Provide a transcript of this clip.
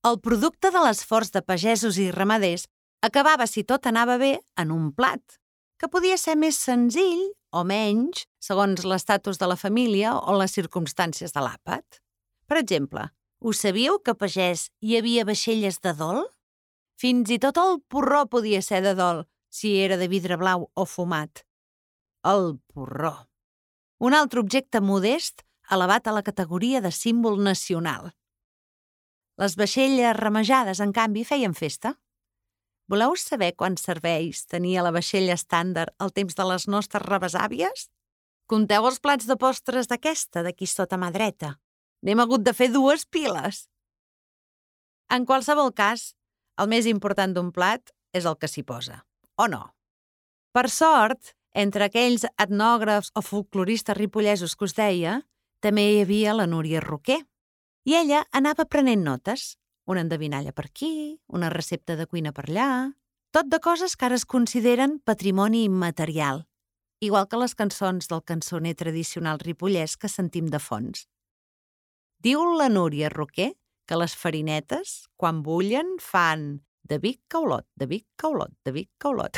El producte de l'esforç de pagesos i ramaders acabava, si tot anava bé, en un plat, que podia ser més senzill o menys, segons l'estatus de la família o les circumstàncies de l'àpat. Per exemple, us sabíeu que a pagès hi havia vaixelles de dol? Fins i tot el porró podia ser de dol, si era de vidre blau o fumat. El porró. Un altre objecte modest elevat a la categoria de símbol nacional. Les vaixelles remejades, en canvi, feien festa. Voleu saber quants serveis tenia la vaixella estàndard al temps de les nostres rebesàvies? Conteu els plats de postres d'aquesta, d'aquí sota mà dreta. N'hem hagut de fer 2 piles. En qualsevol cas, el més important d'un plat és el que s'hi posa, o no? Per sort, entre aquells etnògrafs o folcloristes ripollesos que us deia, també hi havia la Núria Roquer. I ella anava prenent notes, una endevinalla per aquí, una recepta de cuina per allà, tot de coses que ara es consideren patrimoni immaterial, igual que les cançons del cançoner tradicional ripollès que sentim de fons. Diu la Núria Roquer que les farinetes, quan bullen, fan de Vic Caulot, de Vic Caulot, de Vic Caulot.